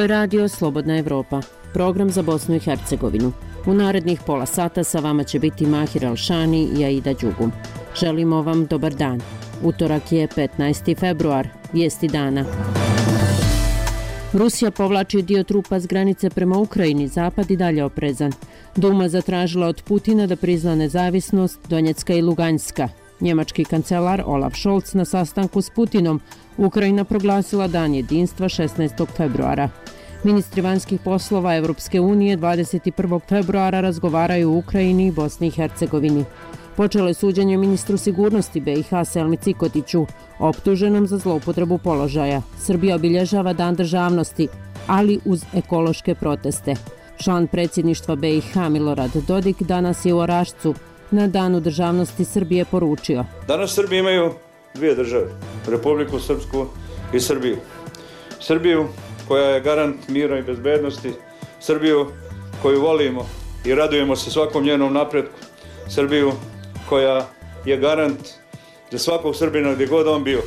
Ovo je radio Slobodna Evropa, program za Bosnu i Hercegovinu. U narednih pola sata sa vama će biti Mahir Alšani i Aida Đugum. Želimo vam dobar dan. Utorak je 15. februar. Vijesti dana. Rusija povlači dio trupa s granice prema Ukrajini, zapad i dalje oprezan. Duma zatražila od Putina da prizna nezavisnost Donjecka i Luganjska. Njemački kancelar Olaf Scholz na sastanku s Putinom. Ukrajina proglasila dan jedinstva 16. februara. Ministri vanjskih poslova Evropske unije 21. februara razgovaraju u Ukrajini i Bosni i Hercegovini. Počelo je suđenje ministru sigurnosti BiH Selmi Cikotiću, optuženom za zloupotrebu položaja. Srbija obilježava Dan državnosti, ali uz ekološke proteste. Član predsjedništva BiH Milorad Dodik danas je u Orašcu na Danu državnosti Srbije poručio: Danas Srbi imaju dvije države, Republiku Srpsku i Srbiju. Srbiju koja je garant mira i bezbednosti, Srbiju koju volimo i radujemo se svakom njenom napretku, Srbiju koja je garant za svakog Srbina gdje god on bio,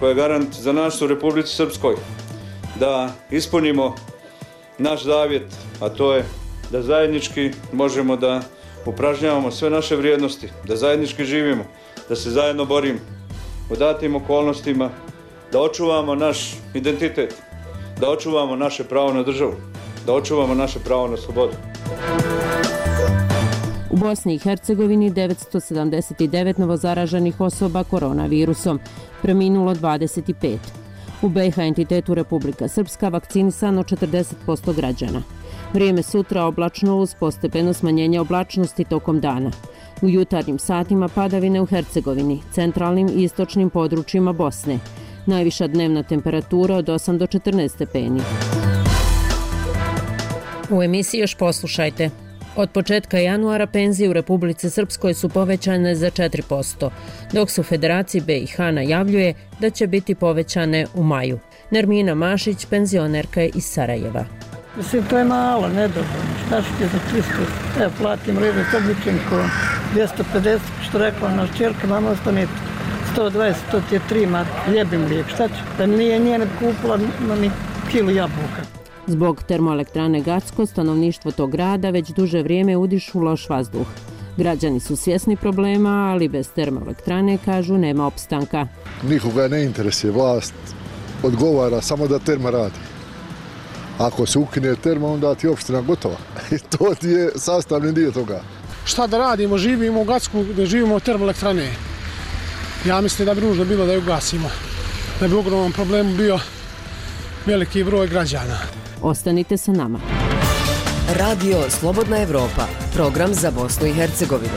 koja je garant za nas u Republici Srpskoj, da ispunimo naš zavjet, a to je da zajednički možemo da upražnjavamo sve naše vrijednosti, da zajednički živimo, da se zajedno borimo u datim okolnostima, da očuvamo naš identitet, da očuvamo naše pravo na državu, da očuvamo naše pravo na slobodu. U Bosni i Hercegovini 979 novozaraženih osoba koronavirusom, preminulo 25. U BiH entitetu Republika Srpska vakcinisano 40% građana. Vrijeme sutra oblačno uz postepeno smanjenje oblačnosti tokom dana. U jutarnjim satima padavine u Hercegovini, centralnim i istočnim područjima Bosne. Najviša dnevna temperatura od 8 do 14 stepeni. U emisiji još poslušajte. Od početka januara penzije u Republici Srpskoj su povećane za 4%, dok se u Federaciji BiH najavljuje da će biti povećane u maju. Nermina Mašić, penzionerka je iz Sarajeva. Mislim, to je malo, nedovoljno. Šta ću ti za 300? Evo, platim rede s obličenkom 250, što rekla naš čerka, mama ostane 120, to ti je 3 marke, ljebim lijek, šta ću? Da nije ne kupila ni kilu jabuka. Zbog termoelektrane Gacko, stanovništvo tog grada već duže vrijeme udišu loš vazduh. Građani su svjesni problema, ali bez termoelektrane, kažu, nema opstanka. Nikoga ne interesuje, vlast odgovara samo da terma radi. Ako se ukine terma, onda ti je opština gotova. I to ti je sastavni dio toga. Šta da radimo? Živimo u Gacku, da živimo od termoelektrane. Ja mislim da bi nužno bilo da ju gasimo. Da bi ogroman problem bio veliki broj građana. Ostanite sa nama. Radio Slobodna Evropa, program za Bosnu i Hercegovinu.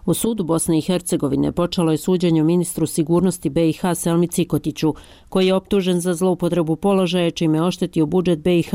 U sudu Bosne i Hercegovine počelo je suđenje ministru sigurnosti BiH Selmi Cikotiću, koji je optužen za zloupotrebu položaja čime je oštetio budžet BiH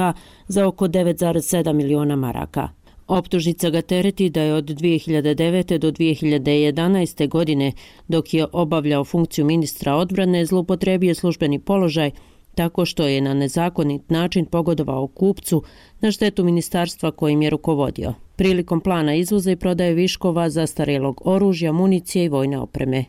za oko 9,7 miliona maraka. Optužnica ga tereti da je od 2009. do 2011. godine, dok je obavljao funkciju ministra odbrane, zloupotrebio službeni položaj tako što je na nezakonit način pogodovao kupcu na štetu ministarstva kojim je rukovodio, prilikom plana izvoza i prodaje viškova zastarjelog oružja, municije i vojne opreme.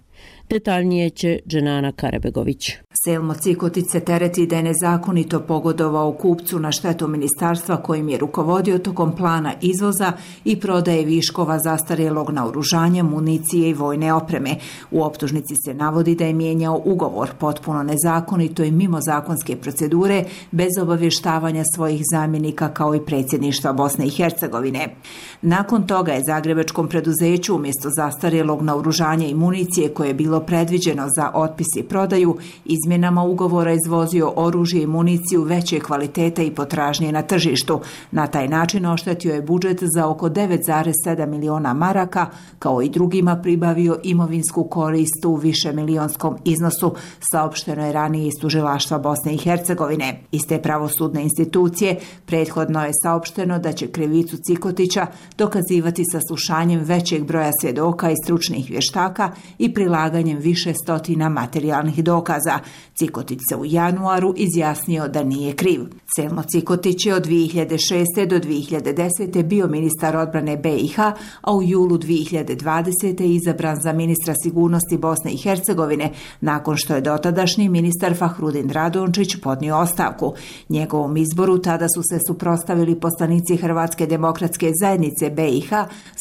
Detaljnije će Dženana Karabegović. Selmo Cikotić se tereti da je nezakonito pogodovao kupcu na štetu ministarstva kojim je rukovodio tokom plana izvoza i prodaje viškova zastarjelog naoružanja, municije i vojne opreme. U optužnici se navodi da je mijenjao ugovor potpuno nezakonito i mimo zakonske procedure, bez obavještavanja svojih zamjenika kao i predsjedništva Bosne i Hercegovine. Nakon toga je zagrebačkom preduzeću umjesto zastarjelog naoružanja i municije koje je bilo predviđeno za otpis i prodaju, izmjenama ugovora izvozio oružje i municiju veće kvalitete i potražnje na tržištu. Na taj način oštetio je budžet za oko 9,7 miliona maraka, kao i drugima pribavio imovinsku korist u višemilijonskom iznosu, saopšteno je ranije iz tužilaštva Bosne i Hercegovine. Iz te pravosudne institucije prethodno je saopšteno da će krivicu Cikotića dokazivati saslušanjem većeg broja svjedoka i stručnih vještaka i prilaganjem skupljanjem više stotina materijalnih dokaza. Cikotić se u januaru izjasnio da nije kriv. Selmo Cikotić je od 2006. do 2010. bio ministar odbrane BiH, a u julu 2020. izabran za ministra sigurnosti Bosne i Hercegovine, nakon što je dotadašnji ministar Fahrudin Radončić podnio ostavku. Njegovom izboru tada su se suprotstavili poslanici Hrvatske demokratske zajednice BiH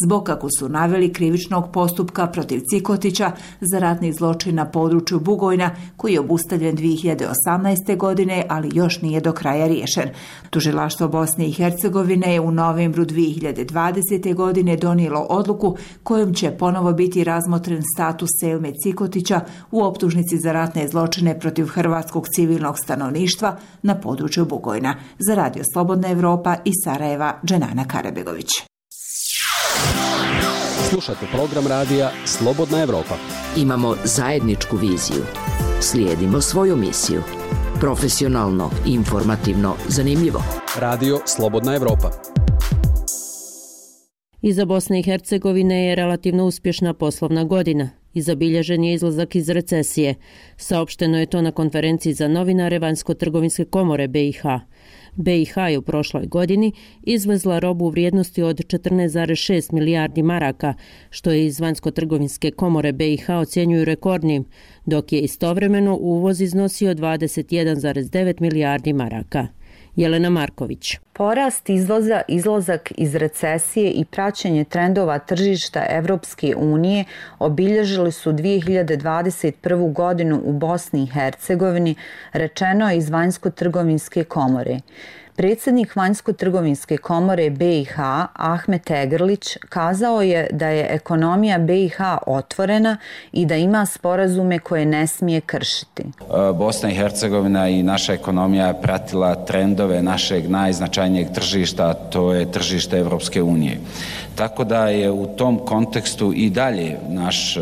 zbog, kako su naveli, krivičnog postupka protiv Cikotića za ratni zločin na području Bugojna, koji je obustavljen 2018. godine, ali još nije do kraja riješen. Tužilaštvo Bosne i Hercegovine je u novembru 2020. godine donijelo odluku kojom će ponovo biti razmotren status Selme Cikotića u optužnici za ratne zločine protiv hrvatskog civilnog stanovništva na području Bugojna. Za Radio Slobodna Evropa iz Sarajeva, Dženana Karabegović. Slušate program radija Slobodna Evropa. Imamo zajedničku viziju. Slijedimo svoju misiju. Profesionalno, informativno, zanimljivo. Radio Slobodna Evropa. Iza Bosne i Hercegovine je relativno uspješna poslovna godina i zabilježen je izlazak iz recesije. Saopšteno je to na konferenciji za novinare Vanjsko-trgovinske komore BiH. BiH je u prošloj godini izvezla robu u vrijednosti od 14,6 milijardi maraka, što je iz Vanjsko-trgovinske komore BiH ocjenjuju rekordnim, dok je istovremeno uvoz iznosio 21,9 milijardi maraka. Jelena Marković. Porast izvoza, izlazak iz recesije i praćenje trendova tržišta Evropske unije obilježili su 2021. godinu u Bosni i Hercegovini, rečeno je iz Vanjsko-trgovinske komore. Predsjednik Vanjsko-trgovinske komore BiH, Ahmet Egrlić, kazao je da je ekonomija BiH otvorena i da ima sporazume koje ne smije kršiti. Bosna i Hercegovina i naša ekonomija je pratila trendove našeg najznačajnijeg tržišta, to je tržište Evropske unije. Tako da je u tom kontekstu i dalje naš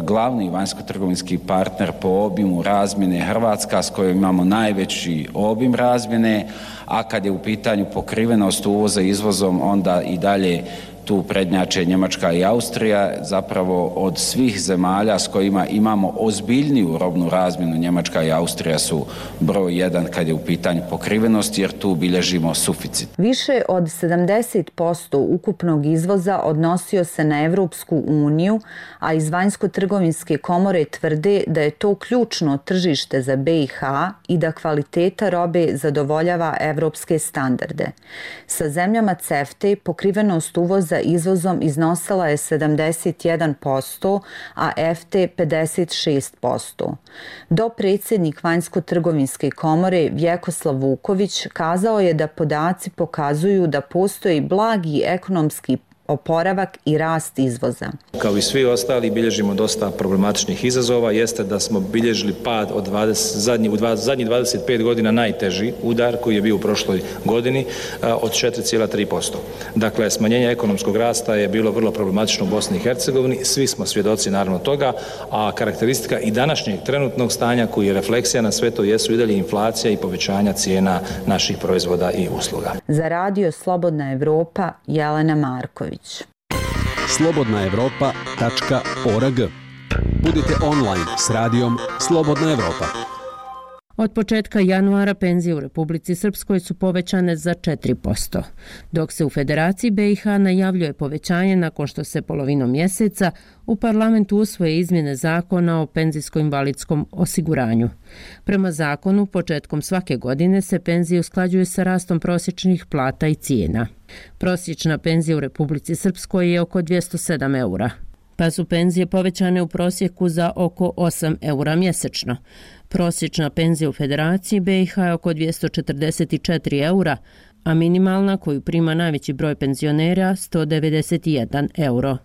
glavni vanjsko-trgovinski partner po obimu razmjene Hrvatska, s kojom imamo najveći obim razmjene, a kad je u pitanju pokrivenost uvoza izvozom, onda i dalje tu prednjače Njemačka i Austrija. Zapravo od svih zemalja s kojima imamo ozbiljniju robnu razmjenu, Njemačka i Austrija su broj 1 kad je u pitanju pokrivenost, jer tu bilježimo suficit. Više od 70% ukupnog izvoza odnosio se na Evropsku uniju, a iz Vanjsko-trgovinske komore tvrde da je to ključno tržište za BiH i da kvaliteta robe zadovoljava evropske standarde. Sa zemljama CEFTA pokrivenost uvoza izvozom iznosila je 71%, a EFTA 56%. Dopredsjednik Vanjsko-trgovinske komore Vjekoslav Vuković kazao je da podaci pokazuju da postoji blagi ekonomski oporavak i rast izvoza. Kao i svi ostali bilježimo dosta problematičnih izazova, jeste da smo bilježili pad od zadnjih 25 godina najteži udar koji je bio u prošloj godini od 4,3%. Dakle, smanjenje ekonomskog rasta je bilo vrlo problematično u Bosni i Hercegovini, svi smo svjedoci naravno toga, a karakteristika i današnjeg trenutnog stanja koji je refleksija na sve to jesu i dalje inflacija i povećanja cijena naših proizvoda i usluga. Za Radio Slobodna Evropa, Jelena Marković. slobodnaevropa.org. Budite online s radijom Slobodna Evropa. Od početka januara penzije u Republici Srpskoj su povećane za 4%, dok se u Federaciji BiH najavljuje povećanje nakon što se polovinom mjeseca u parlamentu usvoje izmjene zakona o penzijsko-invalidskom osiguranju. Prema zakonu, početkom svake godine se penzije usklađuju sa rastom prosječnih plata i cijena. Prosječna penzija u Republici Srpskoj je oko 207 eura, pa su penzije povećane u prosjeku za oko 8 eura mjesečno. Prosječna penzija u Federaciji BiH je oko 244 eura, a minimalna koju prima najveći broj penzionera 191 euro.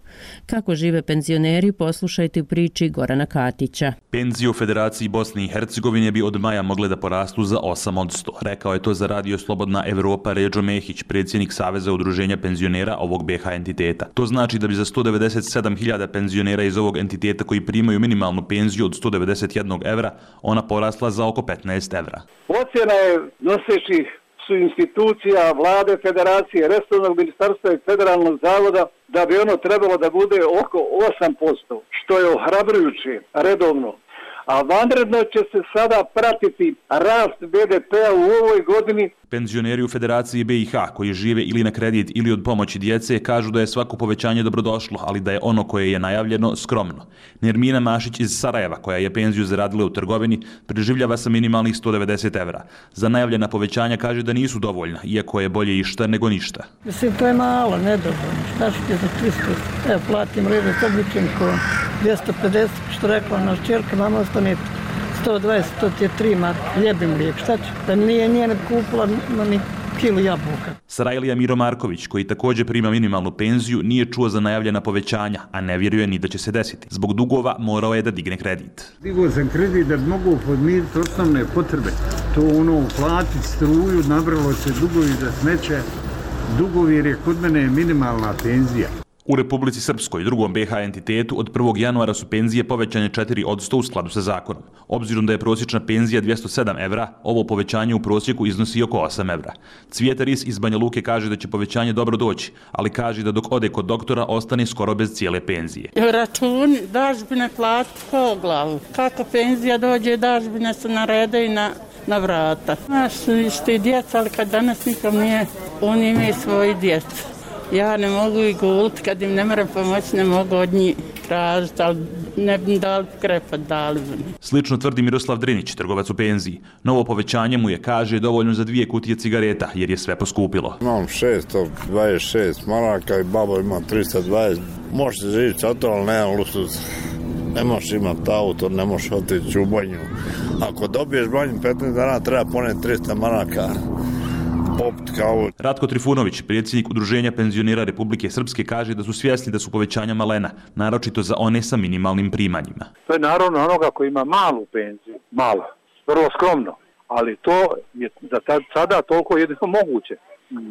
Kako žive penzioneri, poslušajte u priči Gorana Katića. Penzije u Federaciji Bosne i Hercegovine bi od maja mogle da porastu za 8%. Rekao je to za Radio Slobodna Evropa Ređo Mehić, predsjednik Saveza udruženja penzionera ovog BiH entiteta. To znači da bi za 197.000 penzionera iz ovog entiteta koji primaju minimalnu penziju od 191 evra, ona porasla za oko 15 evra. Ocjena je nosećih su institucija vlade, federacije, resornog ministarstva i federalnog zavoda da bi ono trebalo da bude oko 8%, što je ohrabrujuće redovno. A vanredno će se sada pratiti rast BDP-a u ovoj godini. Penzioneri u Federaciji BiH koji žive ili na kredit ili od pomoći djece kažu da je svako povećanje dobrodošlo, ali da je ono koje je najavljeno skromno. Nermina Mašić iz Sarajeva, koja je penziju zaradila u trgovini, preživljava sa minimalnih 190 evra. Za najavljena povećanja kaže da nisu dovoljna, iako je bolje išta nego ništa. Mislim, to je malo, nedovoljno. Šta što je za 300? Evo, platim režu s obličenko 250, što rekla naš čerka, mama ostane 120, to ti je 3 marke, ljebim lijek, šta će? Pa nije ne kupila ni kilu jabuka. Sarajlija Miro Marković, koji također prima minimalnu penziju, nije čuo za najavljena povećanja, a ne vjeruje ni da će se desiti. Zbog dugova morao je da digne kredit. Digao sam kredit da mogu podmiriti osnovne potrebe. To platiti struju, nabralo se dugovi za smeće, dugovi jer je kod mene minimalna penzija. U Republici Srpskoj, drugom BiH entitetu, od 1. januara su penzije povećane 4% u skladu sa zakonom. Obzirom da je prosječna penzija 207 evra, ovo povećanje u prosjeku iznosi oko 8 evra. Cvijeta Ris iz Banja Luke kaže da će povećanje dobro doći, ali kaže da dok ode kod doktora ostane skoro bez cijele penzije. Računi, dažbine plati po glavu. Kako penzija dođe, dažbine se narede i na vrata. Naš su isti djeca, ali kad danas nikom nije, oni imaju svoji djeca. Ja ne mogu i guliti, kad im ne moram pomoći, ne mogu od njih tražiti, ali ne bi dali krepat, dali bi. Slično tvrdi Miroslav Drinić, trgovac u penziji. Novo povećanje mu je, kaže, dovoljno za 2 kutije cigareta, jer je sve poskupilo. Imam 626 maraka i babo ima 320. Možete živjeti sa to, ali nemam luksuz. Ne možeš imati auto, ne možeš otići u banju. Ako dobiješ banju 15 dana, treba poneti 300 maraka. Ratko Trifunović, predsjednik Udruženja penzionera Republike Srpske, kaže da su svjesni da su povećanja malena, naročito za one sa minimalnim primanjima. To je naravno onoga koji ima malu penziju, malo, vrlo skromno, ali to je za sada toliko jedino moguće.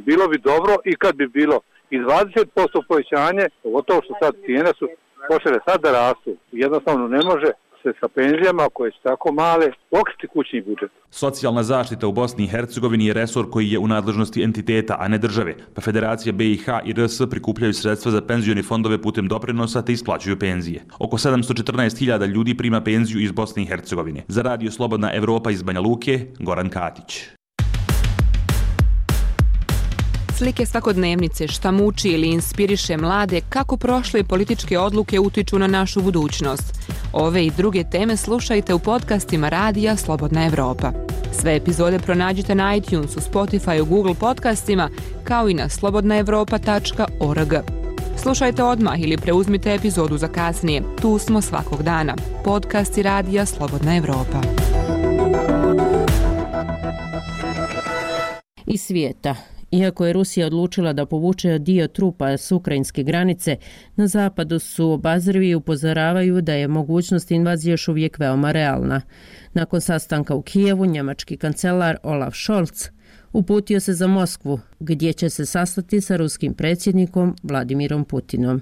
Bilo bi dobro i kad bi bilo i 20% povećanje, pogotovo što sad cijene su počele sad da rastu, jednostavno ne može se sa penzijama koje su tako male pokriti kućni budžet. Socijalna zaštita u Bosni i Hercegovini je resor koji je u nadležnosti entiteta, a ne države, pa Federacija BiH i RS prikupljaju sredstva za penzioni fondove putem doprinosa te isplaćuju penzije. Oko 714.000 ljudi prima penziju iz Bosne i Hercegovine. Za Radio Slobodna Evropa iz Banja Luke, Goran Katić. Slike svakodnevnice, šta muči ili inspiriše mlade, kako prošle političke odluke utiču na našu budućnost. Ove i druge teme slušajte u podcastima Radija Slobodna Evropa. Sve epizode pronađite na iTunesu, Spotifyu, Google podcastima, kao i na slobodnaevropa.org. Slušajte odmah ili preuzmite epizodu za kasnije. Tu smo svakog dana. Podcasti Radija Slobodna Evropa. Iz svijeta. Iako je Rusija odlučila da povuče dio trupa s ukrajinske granice, na zapadu su obazrivi i upozoravaju da je mogućnost invazije još uvijek veoma realna. Nakon sastanka u Kijevu, njemački kancelar Olaf Scholz uputio se za Moskvu, gdje će se sastati sa ruskim predsjednikom Vladimirom Putinom.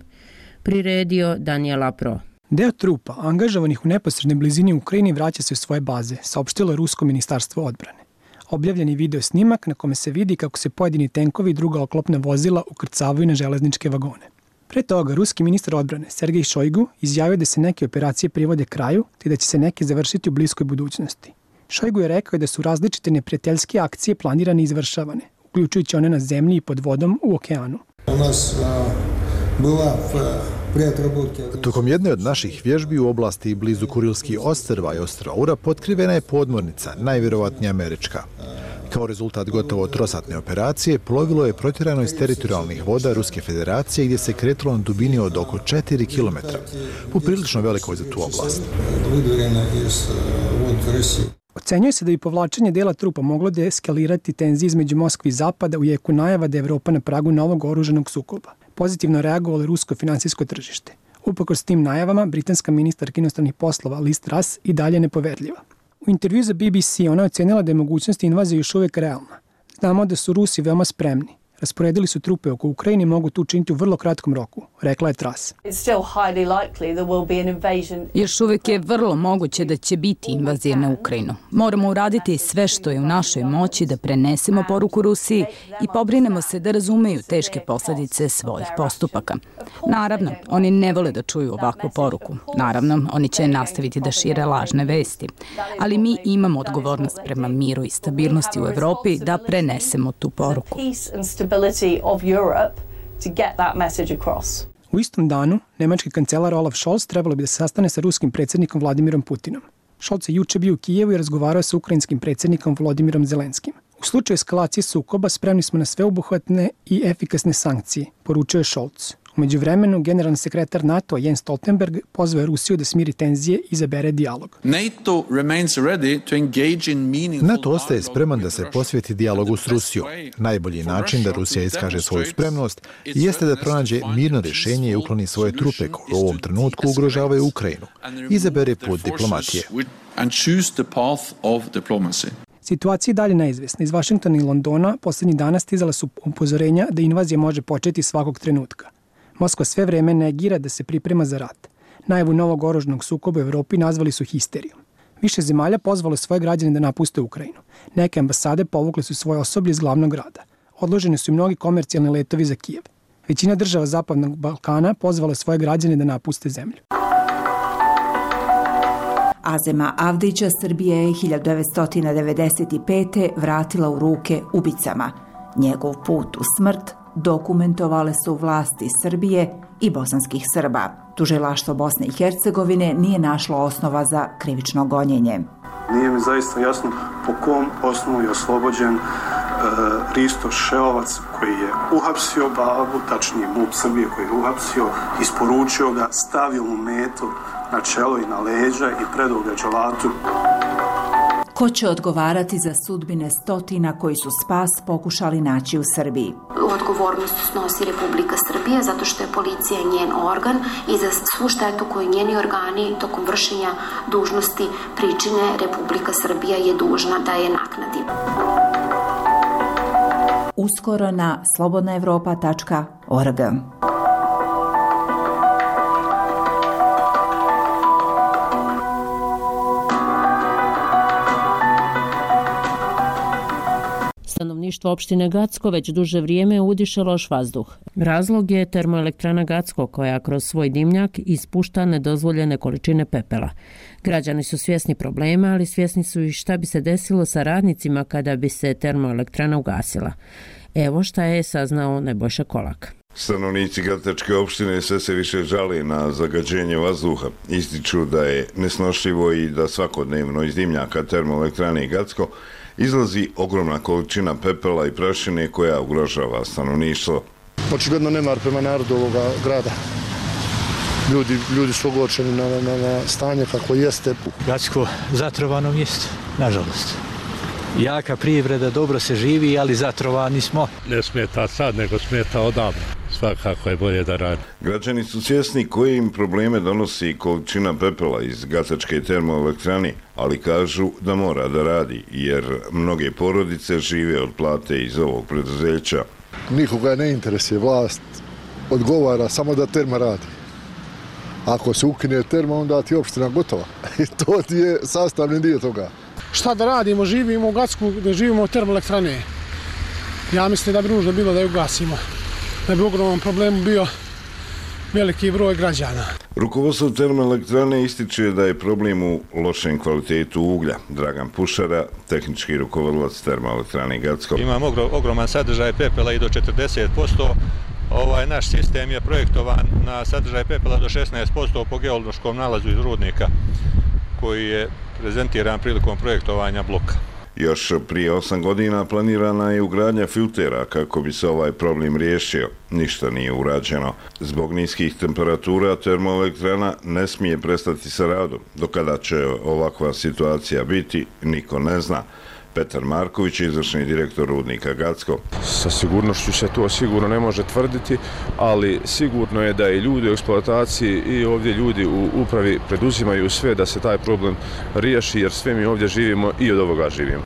Priredio Daniel Apro. Deo trupa angažovanih u neposrednoj blizini Ukrajini vraća se u svoje baze, saopštilo Rusko ministarstvo odbrane. Objavljen je video snimak na kome se vidi kako se pojedini tenkovi i druga oklopna vozila ukrcavaju na železničke vagone. Pre toga, ruski ministar odbrane Sergej Šojgu izjavio da se neke operacije privode kraju te da će se neke završiti u bliskoj budućnosti. Šojgu je rekao da su različite neprijateljske akcije planirane i izvršavane, uključujući one na zemlji i pod vodom u okeanu. Tokom jedne od naših vježbi u oblasti blizu Kurilskih ostrva i ostrva Ura potkrivena je podmornica, najvjerovatnije američka. Kao rezultat gotovo trosatne operacije, plovilo je protjerano iz teritorijalnih voda Ruske federacije gdje se kretalo na dubini od oko 4 km, poprilično velikoj za tu oblast. Ocenjuje se da bi povlačenje dela trupa moglo deeskalirati tenzije između Moskve i Zapada u jeku najava da je Evropa na pragu novog oružanog sukoba. Pozitivno reagovalo rusko finansijsko tržište. Uprkos tim najavama, britanska ministarka inostranih poslova Liz Truss i dalje nepoverljiva. U intervju za BBC ona ocenila da je mogućnost invazije još uvijek realna. Znamo da su Rusi veoma spremni. Rasporedili su trupe oko Ukrajine i mogu to učiniti u vrlo kratkom roku, rekla je Truss. Još uvijek je vrlo moguće da će biti invazija na Ukrajinu. Moramo uraditi sve što je u našoj moći da prenesemo poruku Rusiji i pobrinemo se da razumeju teške posljedice svojih postupaka. Naravno, oni ne vole da čuju ovakvu poruku. Naravno, oni će nastaviti da šire lažne vesti. Ali mi imamo odgovornost prema miru i stabilnosti u Evropi da prenesemo tu poruku. U istom danu, nemački kancelar Olaf Scholz trebalo bi da se sastane sa ruskim predsjednikom Vladimirom Putinom. Scholz je juče bio u Kijevu i razgovarao sa ukrajinskim predsjednikom Volodimirom Zelenskim. U slučaju eskalacije sukoba spremni smo na sveobuhvatne i efikasne sankcije, poručio je Scholz. U međuvremenu, generalni sekretar NATO Jens Stoltenberg pozvao je Rusiju da smiri tenzije i izabere dijalog. NATO ostaje spreman da se posveti dijalogu s Rusijom. Najbolji način da Rusija iskaže svoju spremnost jeste da pronađe mirno rješenje i ukloni svoje trupe koje u ovom trenutku ugrožavaju Ukrajinu. Izabere put diplomatije. Situacija je dalje neizvjesna. Iz Vašingtona i Londona posljednjih dana stizala su upozorenja da invazija može početi svakog trenutka. Moskva sve vreme negira da se priprema za rat. Najavu novog oružanog sukoba u Evropi nazvali su histerijom. Više zemalja pozvalo svoje građane da napuste Ukrajinu. Neke ambasade povukle su svoje osoblje iz glavnog grada. Odloženi su i mnogi komercijalni letovi za Kijev. Većina država Zapadnog Balkana pozvala svoje građane da napuste zemlju. Azema Avdića Srbija je 1995. vratila u ruke ubicama. Njegov put u smrt dokumentovale su vlasti Srbije i bosanskih Srba. Tužilaštvo Bosne i Hercegovine nije našlo osnova za krivično gonjenje. Nije mi zaista jasno po kom osnovu je oslobođen Risto Šeovac koji je uhapsio babu, tačnije MUP Srbije koji je uhapsio, isporučio ga, stavio mu metu na čelo i na leđa i predao ga dželatu. Ko će odgovarati za sudbine stotina koji su spas pokušali naći u Srbiji? Odgovornost snosi Republika Srbija zato što je policija njen organ i za svu štetu koju njeni organi tokom vršenja dužnosti pričine Republika Srbija je dužna da je naknadi. Uskoro na slobodnaevropa.org. Stanovništvo opštine Gacko već duže vrijeme udiše loš vazduh. Razlog je termoelektrana Gacko koja kroz svoj dimnjak ispušta nedozvoljene količine pepela. Građani su svjesni problema, ali svjesni su i šta bi se desilo sa radnicima kada bi se termoelektrana ugasila. Evo šta je saznao Nebojša Kolak. Stanovnici Gatačke opštine sve se više žale na zagađenje vazduha. Ističu da je nesnošljivo i da svakodnevno iz dimnjaka termoelektrane Gacko izlazi ogromna količina pepela i prašine koja ugrožava stanovništvo. Očigledno nemar prema narodu ovoga grada. Ljudi su ogorčeni na stanje kako jeste. Gacko zatrovano mjesto, nažalost. Jaka privreda, dobro se živi, ali zatrovani smo. Ne smeta sad, nego smeta odavno. Svakako je bolje da radi. Građani su svjesni koje im probleme donosi količina pepela iz Gatačke termoelektrane, ali kažu da mora da radi, jer mnoge porodice žive od plate iz ovog preduzeća. Nikoga ne interesuje, vlast odgovara samo da terma radi. Ako se ukine terma, onda ti je opština gotova. I to ti je sastavni dio toga. Šta da radimo, živimo u Gacku, da živimo od termoelektrane. Ja mislim da bi nužno bilo da ju gasimo. Da bi ogroman problem bio veliki broj građana. Rukovodstvo termoelektrane ističe da je problem u lošem kvalitetu uglja. Dragan Pušara, tehnički rukovodilac termoelektrane Gacko. Imamo ogroman sadržaj pepela i do 40%. Naš sistem je projektovan na sadržaj pepela do 16% po geološkom nalazu iz rudnika koji je prezentiran prilikom projektovanja bloka. Još prije 8 godina planirana je ugradnja filtera kako bi se ovaj problem riješio. Ništa nije urađeno. Zbog niskih temperatura termoelektrana ne smije prestati sa radom. Do kada će ovakva situacija biti, niko ne zna. Petar Marković, izvršni direktor rudnika Gacko. Sa sigurnošću se to sigurno ne može tvrditi, ali sigurno je da i ljudi u eksploataciji i ovdje ljudi u upravi preduzimaju sve da se taj problem riješi, jer sve mi ovdje živimo i od ovoga živimo.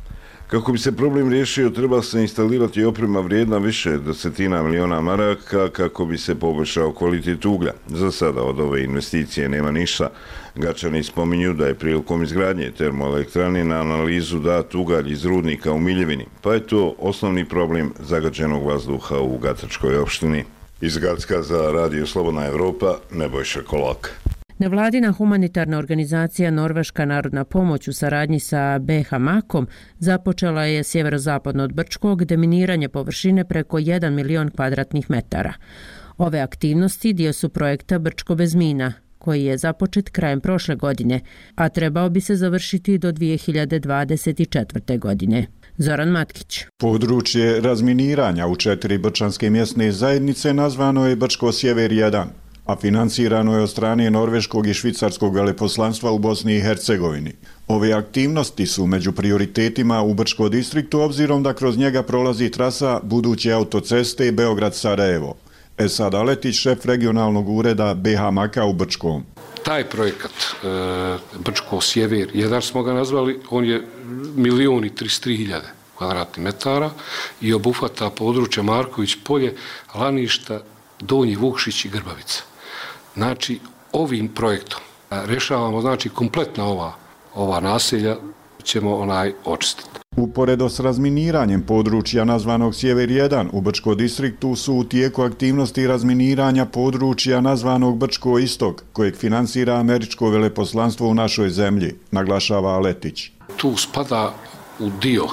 Kako bi se problem riješio, treba se instalirati oprema vrijedna više desetina miliona maraka kako bi se poboljšao kvalitet uglja. Za sada od ove investicije nema ništa. Gačani spominju da je prilikom izgradnje termoelektrane na analizu dat ugalj iz rudnika u Miljevini, pa je to osnovni problem zagađenog vazduha u Gatačkoj opštini. Iz Gacka za Radio Slobodna Evropa, Nebojša Kolak. Nevladina humanitarna organizacija Norveška narodna pomoć u saradnji sa BH Makom započela je sjeverozapadno od Brčkog deminiranje površine preko 1 milion kvadratnih metara. Ove aktivnosti dio su projekta Brčko bez mina, koji je započet krajem prošle godine, a trebao bi se završiti do 2024. godine. Zoran Matkić. Područje razminiranja u 4 brčanske mjesne zajednice nazvano je Brčko Sjever 1, a financirano je od strane norveškog i švicarskog veleposlanstva u Bosni i Hercegovini. Ove aktivnosti su među prioritetima u Brčko distriktu obzirom da kroz njega prolazi trasa buduće autoceste Beograd-Sarajevo. Esad Aletić, šef regionalnog ureda BH Maka u Brčkom. Taj projekat Brčko Sjever 1 smo ga nazvali, on je 1.033.000 kvadratnih metara i obuhvata područja Marković polje, Laništa, Donji Vukšić i Grbavica. Znači, ovim projektom rešavamo, znači, kompletna ova naselja ćemo očistiti. Uporedo s razminiranjem područja nazvanog Sjever 1 u Brčko distriktu su u tijeku aktivnosti razminiranja područja nazvanog Brčko Istok, kojeg finansira američko veleposlanstvo u našoj zemlji, naglašava Aletić. Tu spada u dio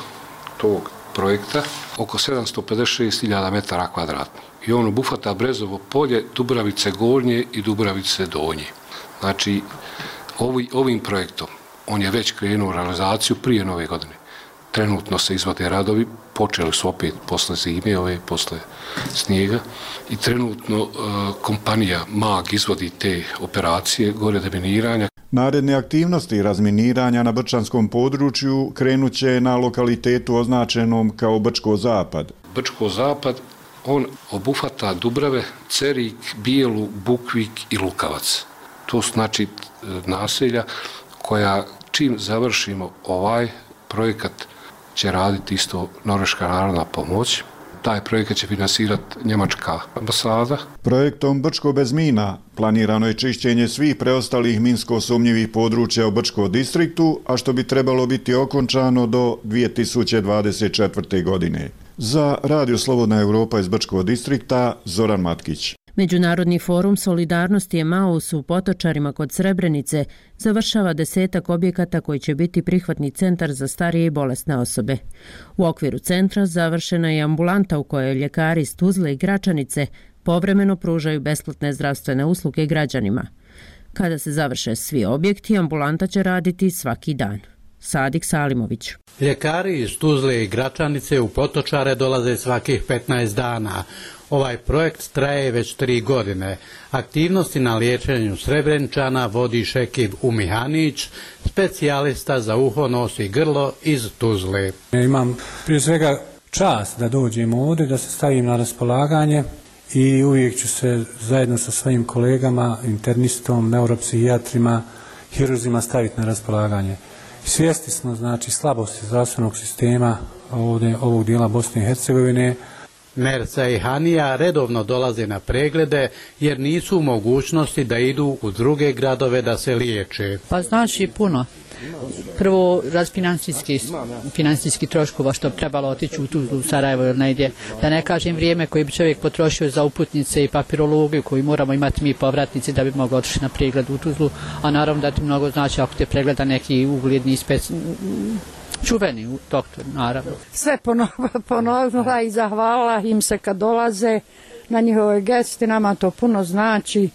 tog projekta oko 756.000 metara kvadratnih. I on obuhvata Brezovo polje, Dubravice Gornje i Dubravice Donje. Znači, ovim projektom on je već krenuo realizaciju prije nove godine. Trenutno se izvode radovi, počeli su opet posle zime, posle snijega i trenutno kompanija MAG izvodi te operacije gore deminiranja. Naredne aktivnosti razminiranja na brčanskom području krenuće na lokalitetu označenom kao Brčko Zapad. Brčko Zapad, on obuhvata Dubrave, Cerik, Bijelu, Bukvik i Lukavac. To su znači naselja koja čim završimo ovaj projekat će raditi isto Norveška narodna pomoć. Taj projekat će finansirati Njemačka ambasada. Projektom Brčko bez mina planirano je čišćenje svih preostalih minsko sumnjivih područja u Brčko distriktu, a što bi trebalo biti okončano do 2024. godine. Za Radio Slobodna Evropa iz Brčkog distrikta, Zoran Matkić. Međunarodni forum Solidarnosti Emaus u Potočarima kod Srebrenice završava 10 objekata koji će biti prihvatni centar za starije i bolesne osobe. U okviru centra završena je ambulanta u kojoj ljekari iz Tuzle i Gračanice povremeno pružaju besplatne zdravstvene usluge građanima. Kada se završe svi objekti, ambulanta će raditi svaki dan. Sadik Salimović. Ljekari iz Tuzle i Gračanice u Potočare dolaze svakih 15 dana. Ovaj projekt traje već 3 godine. Aktivnosti na liječenju Srebrenčana vodi Šekib Umihanić, specijalista za uho, nos i grlo iz Tuzle. Imam prije svega čast da dođem ovdje, da se stavim na raspolaganje i uvijek ću se zajedno sa svojim kolegama, internistom, neuropsihijatrima, hirurzima staviti na raspolaganje. Svjesni smo, znači, slabosti zdravstvenog sistema ovog dijela Bosne i Hercegovine. Merca i Hanija redovno dolaze na preglede jer nisu u mogućnosti da idu u druge gradove da se liječe. Pa znači puno. Prvo financijski troškova što bi trebalo otići u Tuzlu, u Sarajevo ili negdje. Da ne kažem vrijeme koje bi čovjek potrošio za uputnice i papirologiju koju moramo imati mi povratnici da bi mogli otići na pregled u Tuzlu. A naravno da ti mnogo znači ako te pregleda neki ugledni čuveni doktor, naravno. Sve ponovila i zahvalila im se kad dolaze na njihove gesti, nama to puno znači,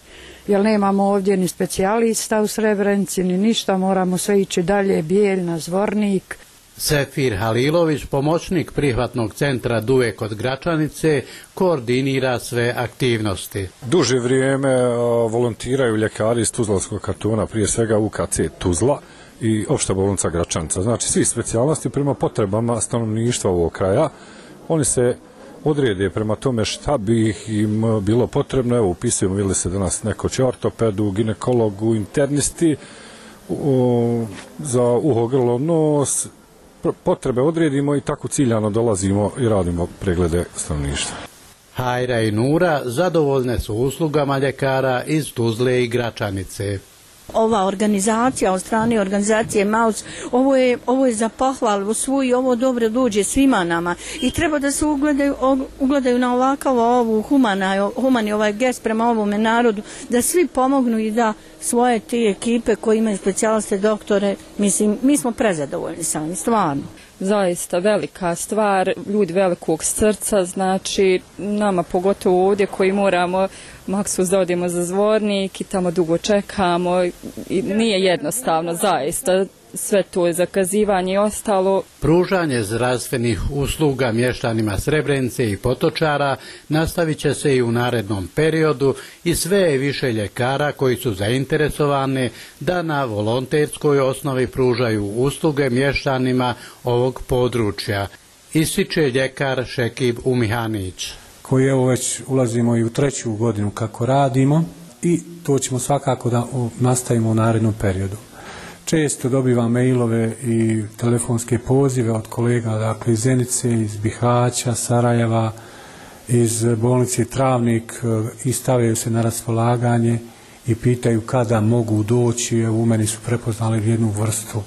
jer nemamo ovdje ni specijalista u Srebrenici, ni ništa, moramo sve ići dalje, Bijeljna, Zvornik. Sefir Halilović, pomoćnik prihvatnog centra Duve kod Gračanice, koordinira sve aktivnosti. Duže vrijeme volontiraju ljekari iz Tuzlanskog kartona, prije svega UKC Tuzla i opšta bolnica Gračanica. Znači, svi specijalnosti prema potrebama stanovništva ovog kraja, oni se odrede prema tome šta bi im bilo potrebno. Evo, upisujemo, vidjeli se danas neko će ortopedu, ginekologu, internisti za uho, grlo, nos potrebe odredimo i tako ciljano dolazimo i radimo preglede stanovništva. Hajra i Nura zadovoljne su uslugama ljekara iz Tuzle i Gračanice. Ova organizacija od strane organizacije MAUS, ovo je za pohvalu svu i ovo dobro dođe svima nama i treba da se ugledaju na ovakav humani ovaj gest prema ovome narodu, da svi pomognu i da svoje te ekipe koji imaju specijaliste, doktore, mislim, mi smo prezadovoljni sami, stvarno. Zaista velika stvar, ljudi velikog srca, znači nama pogotovo ovdje koji moramo maksus da odemo za Zvornik i tamo dugo čekamo i nije jednostavno, zaista sve to je zakazivanje i ostalo. Pružanje zdravstvenih usluga mještanima Srebrenice i Potočara nastavit će se i u narednom periodu i sve je više ljekara koji su zainteresovani da na volonterskoj osnovi pružaju usluge mještanima ovog područja, ističe ljekar Šekib Umihanić. Koji evo već ulazimo i u 3. godinu kako radimo i to ćemo svakako da nastavimo u narednom periodu. Često dobivam mailove i telefonske pozive od kolega, dakle iz Zenice, iz Bihaća, Sarajeva, iz bolnice Travnik i stavljaju se na raspolaganje i pitaju kada mogu doći. Evo, u meni su prepoznali jednu vrstu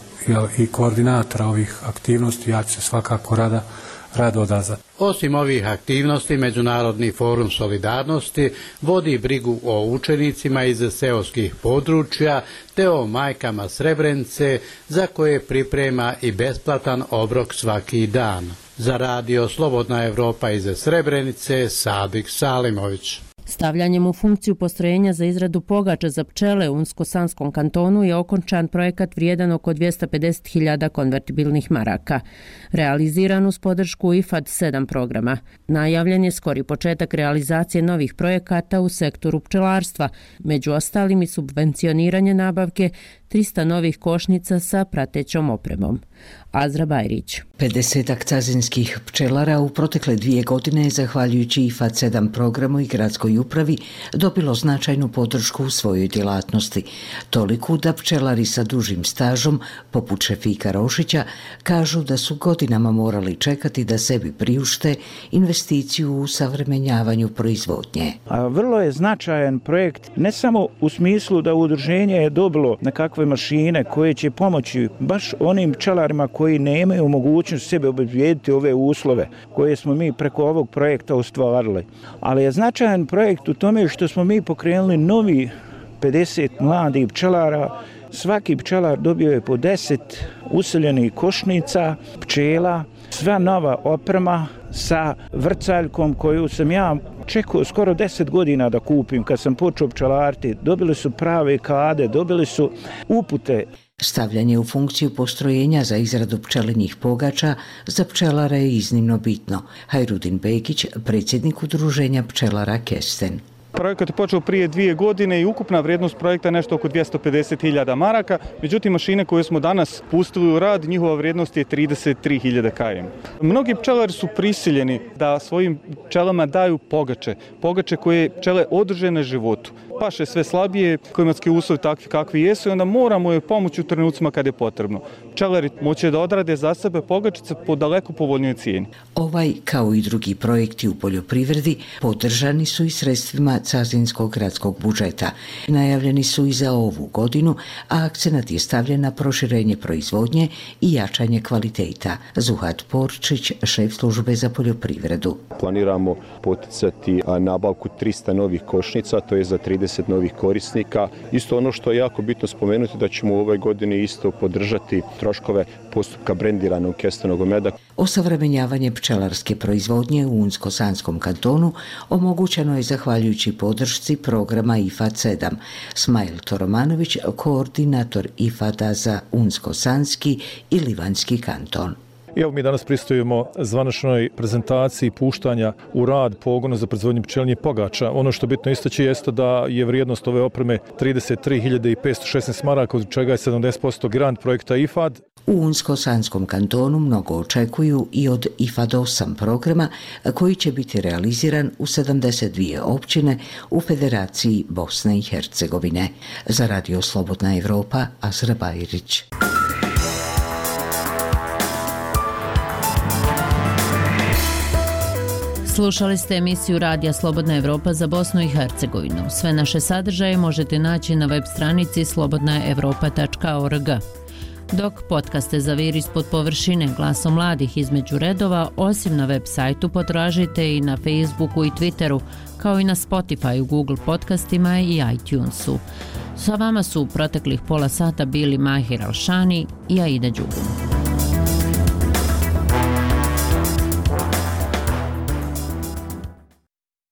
i koordinatora ovih aktivnosti, ja ću se svakako rado odazvati. Osim ovih aktivnosti, Međunarodni forum solidarnosti vodi brigu o učenicima iz seoskih područja te o majkama Srebrenice za koje priprema i besplatan obrok svaki dan. Za radio Slobodna Evropa iz Srebrenice, Sadik Salimović. Stavljanjem u funkciju postrojenja za izradu pogača za pčele u Unsko-Sanskom kantonu je okončan projekat vrijedan oko 250.000 konvertibilnih maraka. Realiziran uz podršku IFAD 7 programa. Najavljen je skori početak realizacije novih projekata u sektoru pčelarstva, među ostalim i subvencioniranje nabavke 300 novih košnica sa pratećom opremom. Azra Bajrić. 50 cazinskih pčelara u protekle 2 godine, zahvaljujući IFAD 7 programu i gradskoj upravi, dobilo značajnu podršku u svojoj djelatnosti. Toliku da pčelari sa dužim stažom, poput Šefika Rošića, kažu da su godinama morali čekati da sebi priušte investiciju u savremenjavanju proizvodnje. Vrlo je značajan projekt, ne samo u smislu da udruženje je dobilo nekakve mašine koje će pomoći baš onim pčelarima koji nemaju mogućnost sebe obezbijediti ove uslove koje smo mi preko ovog projekta ostvarili. Ali je značajan projekt u tome što smo mi pokrenuli novi 50 mladih pčelara. Svaki pčelar dobio je po 10 useljenih košnica, pčela, sva nova oprema sa vrcaljkom koju sam ja čekao skoro 10 godina da kupim kad sam počeo pčelariti. Dobili su prave kade, dobili su upute. Stavljanje u funkciju postrojenja za izradu pčelinjih pogača za pčelare je iznimno bitno. Hajrudin Bekić, predsjednik udruženja pčelara Kesten. Projekat je počeo prije 2 godine i ukupna vrijednost projekta je nešto oko 250.000 maraka. Međutim, mašine koje smo danas pustili u rad, njihova vrijednost je 33.000 km. Mnogi pčelari su prisiljeni da svojim pčelama daju pogače koje pčele održe na životu. Paše sve slabije, klimatski uslovi takvi kakvi jesu i onda moramo joj pomoći u trenucima kad je potrebno. Pčelari moće da odrade za sebe pogačice po daleko povoljnijoj cijeni. Ovaj, kao i drugi projekti u poljoprivredi, podržani su i sredstvima Cazinskog gradskog budžeta. Najavljeni su i za ovu godinu, a akcenat je stavljen na proširenje proizvodnje i jačanje kvaliteta. Zuhat Porčić, šef službe za poljoprivredu. Planiramo poticati nabavku 300 novih košnica, to je za 30 novih korisnika. Isto ono što je jako bitno spomenuti da ćemo u ovoj godini isto podržati troškove postupka brendiranog kestenog meda. Osavremenjavanje pčelarske proizvodnje u Unsko-Sanskom kantonu omogućeno je zahvaljujući podršci programa IFAD 7. Smajl Toromanović, koordinator IFAD-a za Unsko-Sanski i Livanjski kanton. Evo mi danas pristojimo zvaničnoj prezentaciji puštanja u rad pogona za proizvodnju pčelinjih pogača. Ono što bitno istaći jeste da je vrijednost ove opreme 33.516 maraka, od čega je 70% grant projekta IFAD. U Unsko-Sanskom kantonu mnogo očekuju i od IFAD 8 programa koji će biti realiziran u 72 općine u Federaciji Bosne i Hercegovine. Za radio Slobodna Evropa, Azra Bajrić. Slušali ste emisiju Radija Slobodna Evropa za Bosnu i Hercegovinu. Sve naše sadržaje možete naći na web stranici slobodnaevropa.org. Dok podcaste Zavir ispod površine, glasom mladih između redova, osim na web sajtu potražite i na Facebooku i Twitteru, kao i na Spotifyu, Google podcastima i iTunesu. Sa vama su u proteklih pola sata bili Mahir Alšani i Aida Đugum.